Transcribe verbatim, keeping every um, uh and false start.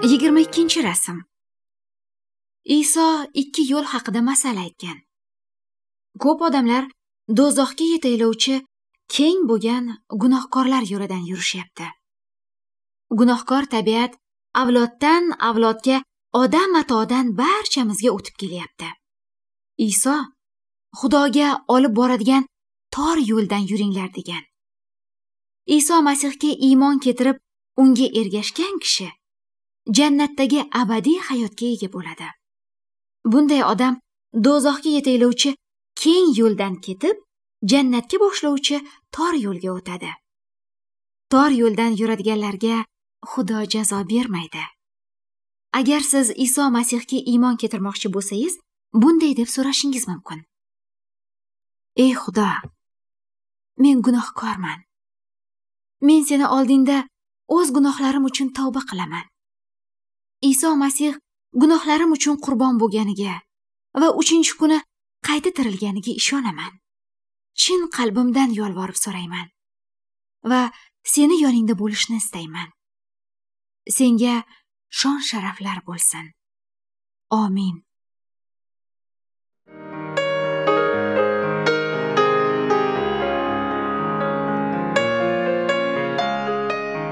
Yigirma ikkinchi rasm. Iso ikki yo'l haqida masal aytgan. Ko'p odamlar do'zaxga yetaklovchi keng bo'lgan gunohkorlar yo'lidan yurishyapti. Gunohkor tabiat avloddan avlodga, odam atodan barchamizga o'tib kelyapti. Iso Xudoga olib boradigan tor yo'ldan yuringlar degan. Iso Masihga iymon keltirib, unga ergashgan kishi jannatdagi abadiy hayotga ega bo'ladi. Bunday odam do'zaxga yetaklovchi keng yo'ldan ketib, jannatga boshlovchi tor yo'lga o'tadi. Tor yo'ldan yuradiganlarga Xudo jazo bermaydi. Agar siz Iso Masihga iymon keltirmoqchi bo'lsangiz, bunday deb so'rashingiz mumkin. Ey Xudo, men gunohkorman. Men seni oldingda o'z gunohlarim uchun tavba qilaman. Iso Masih gunohlarim uchun qurbon bo'lganiga va uchinchi kuni qayta tirilganiga ishonaman. Chin qalbimdan yolvorib so'rayman va seni yoningda bo'lishni istayman. Senga shon sharaflar bo'lsin. Amin.